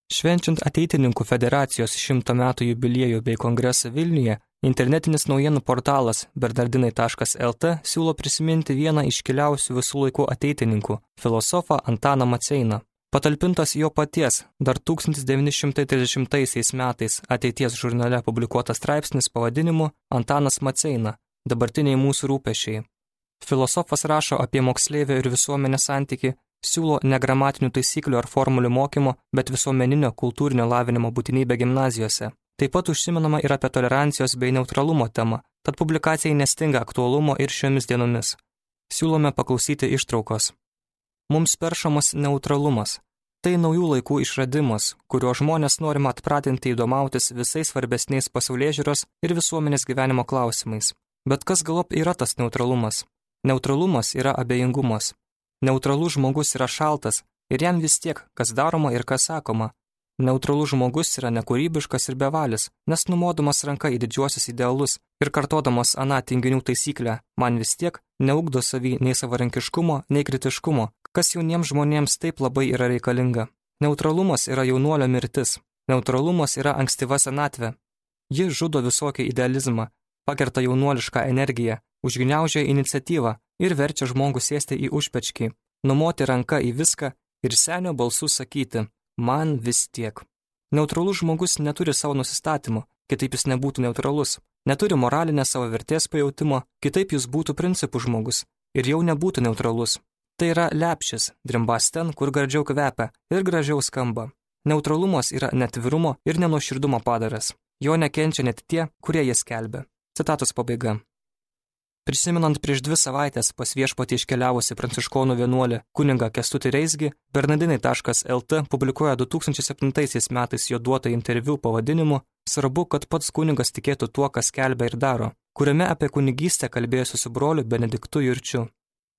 Švenčiant Ateitininkų federacijos 100 metų jubiliejų bei kongresą Vilniuje, internetinis naujienų portalas bernardinai.lt siūlo prisiminti vieną iškiliausių visų laikų ateitininkų – filosofą Antaną Maceiną. Patalpintas jo paties dar 1930 metais Ateities žurnale publikuotas straipsnis pavadinimu Antanas Maceina – dabartiniai mūsų rūpesčiai. Filosofas rašo apie moksleivio ir visuomenės santykį, siūlo negramatinių taisyklių ar formulių mokymo, bet visuomeninio kultūrinio lavinimo būtinybę gimnazijose. Taip pat užsimenama ir apie tolerancijos bei neutralumo temą, tad publikacijai nestinga aktualumo ir šiomis dienomis. Siūlome paklausyti ištraukos. Mums peršamas neutralumas. Tai naujų laikų išradimas, kurio žmonės norima atpratinti įdomautis visais svarbesniais pasaulėžiūros ir visuomenės gyvenimo klausimais. Bet kas galop yra tas neutralumas? Neutralumas yra abejingumas. Neutralus žmogus yra šaltas ir jam vis tiek, kas daroma ir kas sakoma. Neutralus žmogus yra nekūrybiškas ir bevalis, nes numodamas ranka į didžiuosius idealus ir kartodamas aną tinginių taisyklę, man vis tiek neugdo savy nei savarankiškumo, nei kritiškumo, kas jauniems žmonėms taip labai yra reikalinga. Neutralumas yra jaunuolio mirtis. Neutralumas yra ankstyva senatvė. Ji žudo visokį idealizmą, pakerta jaunuolišką energiją, užgniaužia iniciatyvą ir verčia žmogų sėsti į užpečkį, numoti ranką į viską ir senio balsu sakyti man vis tiek. Neutralus žmogus neturi savo nusistatymų, kitaip jis nebūtų neutralus, neturi moralinės savo vertės pajautimo, kitaip jis būtų principų žmogus ir jau nebūtų neutralus. Tai yra lepšis, drimbas ten, kur gardžiau kvepia ir gražiau skamba. Neutralumas yra netvirumo ir nenuoširdumo padaras. Jo nekenčia net tie, kurie jas skelbia. Citatos pabaiga. Prisimenant prieš 2 savaitės pas viešpatį iškeliavusi pranciškonų vienuolį kunigą Kęstutį Reizgį, bernardinai.lt publikuoja 2007 metais jo duotą interviu pavadinimu Svarbu, kad pats kunigas tikėtų tuo, kas skelbia ir daro, kuriame apie kunigystę kalbėjosi su broliu Benediktu Jurčiu.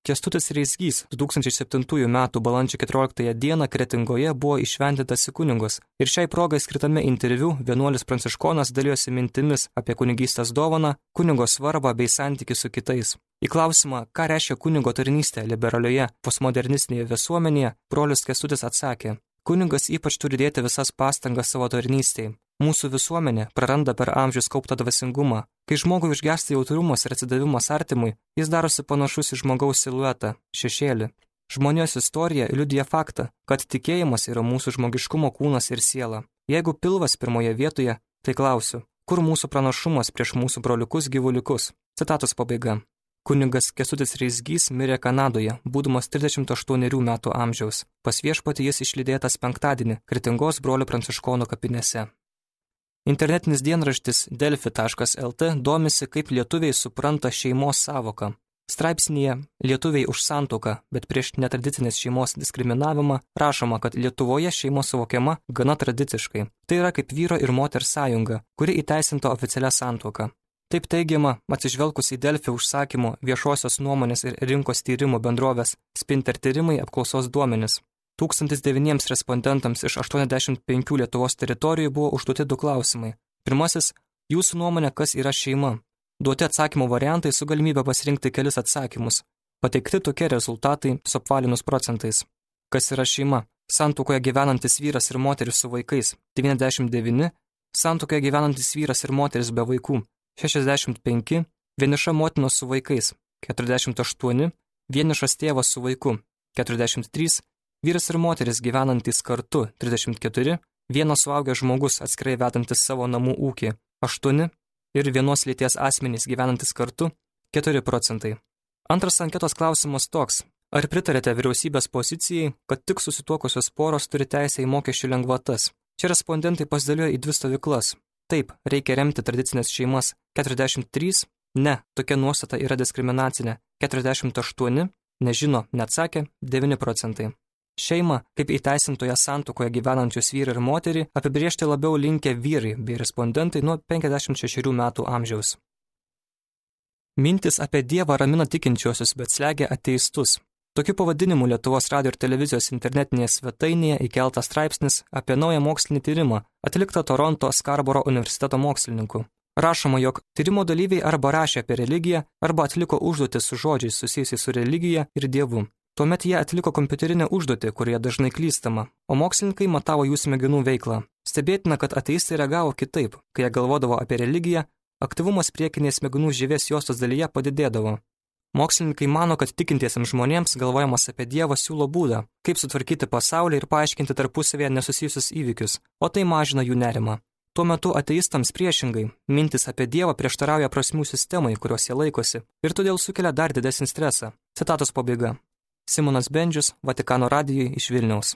Kęstutis Reizgys 2007 metų balandžio 14 dieną Kretingoje buvo įšventintas į kunigus ir šiai progai skirtame interviu vienuolis pranciškonas dalijosi mintimis apie kunigystės dovaną, kunigo svarbą bei santykį su kitais. Į klausimą, ką reiškia kunigo tarnystė liberalioje, postmodernistinėje visuomenėje, brolis Kęstutis atsakė, kunigas ypač turi dėti visas pastangas savo tarnystėje. Mūsų visuomenė praranda per amžius kauptą dvasingumą. Kai žmogui užgęsta jautrumas ir atsidavimas artimui, jis darosi panašus į žmogaus siluetą, šešėlį. Žmonijos istorija liudija faktą, kad tikėjimas yra mūsų žmogiškumo kūnas ir siela. Jeigu pilvas pirmoje vietoje, tai klausiu, kur mūsų pranašumas prieš mūsų broliukus gyvuliukus? Citatos pabaiga. Kunigas Kęstutis Reizgys mirė Kanadoje, būdamas 38 metų amžiaus. Pas viešpatį jis išlydėtas penktadienį Kretingos brolių pranciškonų kapinėse. Internetinis dienraštis delfi.lt domisi, kaip lietuviai supranta šeimos savoką. Straipsnyje Lietuviai už santuoką, bet prieš netradicinės šeimos diskriminavimą rašoma, kad Lietuvoje šeima suvokiama gana tradiciškai. Tai yra kaip vyro ir moters sąjunga, kuri įteisinta oficialia santuoka. Taip teigiama, atsižvelgus į Delfi užsakymų viešosios nuomonės ir rinkos tyrimų bendrovės Spinter tyrimai apklausos duomenis. 1009 respondentams iš 85 Lietuvos teritorijų buvo užduoti 2 klausimai. Pirmasis – jūsų nuomonė, kas yra šeima? Duoti atsakymų variantai su galimybė pasirinkti kelis atsakymus. Pateikti tokie rezultatai suapvalinus procentais. Kas yra šeima? Santuokoje gyvenantis vyras ir moteris su vaikais – 99, santuokoje gyvenantis vyras ir moteris be vaikų – 65, vieniša motina su vaikais – 48, vienišas tėvas su vaiku – 43, vyras ir moteris gyvenantys kartu 34, vienas suaugęs žmogus atskirai vedantis savo namų ūkį 8 ir vienos lyties asmenys gyvenantys kartu 4 procentai. Antras anketos klausimas toks. Ar pritarėte vyriausybės pozicijai, kad tik susituokusios poros turi teisę į mokesčių lengvatas? Čia respondentai pasidalijo į 2 stovyklas. Taip, reikia remti tradicinės šeimas 43, ne, tokia nuostata yra diskriminacinė 48, nežino, neatsakė 9 procentai. Šeimą, kaip įteisintoje santuokoje gyvenančius vyrą ir moterį, apibriežti labiau linkę vyrai bei respondentai nuo 56 metų amžiaus. Mintis apie Dievą ramina tikinčiuosius, bet slegia ateistus. Tokiu pavadinimu Lietuvos radijo ir televizijos internetinėje svetainėje įkeltas straipsnis apie naują mokslinį tyrimą, atliktą Toronto Skarboro universiteto mokslininkų. Rašoma, jog tyrimo dalyviai arba rašė apie religiją, arba atliko užduotis su žodžiais susijusiais su religija ir Dievu. Tuomet jie atliko kompiuterinę užduotį, kurioje dažnai klystama, o mokslininkai matavo jų smegenų veiklą. Stebėtina, kad ateistai reagavo kitaip, kai jie galvodavo apie religiją, aktyvumas priekinės smegenų žievės juostos dalyje padidėdavo. Mokslininkai mano, kad tikintiesiems žmonėms galvojimas apie Dievą siūlo būdą, kaip sutvarkyti pasaulį ir paaiškinti tarpusavėje nesusijusius įvykius, o tai mažina jų nerimą. Tuo metu ateistams priešingai, mintis apie Dievą prieštarauja prasmių sistemai, kurios jie laikosi, ir todėl sukelia dar didesnį stresą. Citatos pabaiga. Simonas Bendžius, Vatikano radijui iš Vilniaus.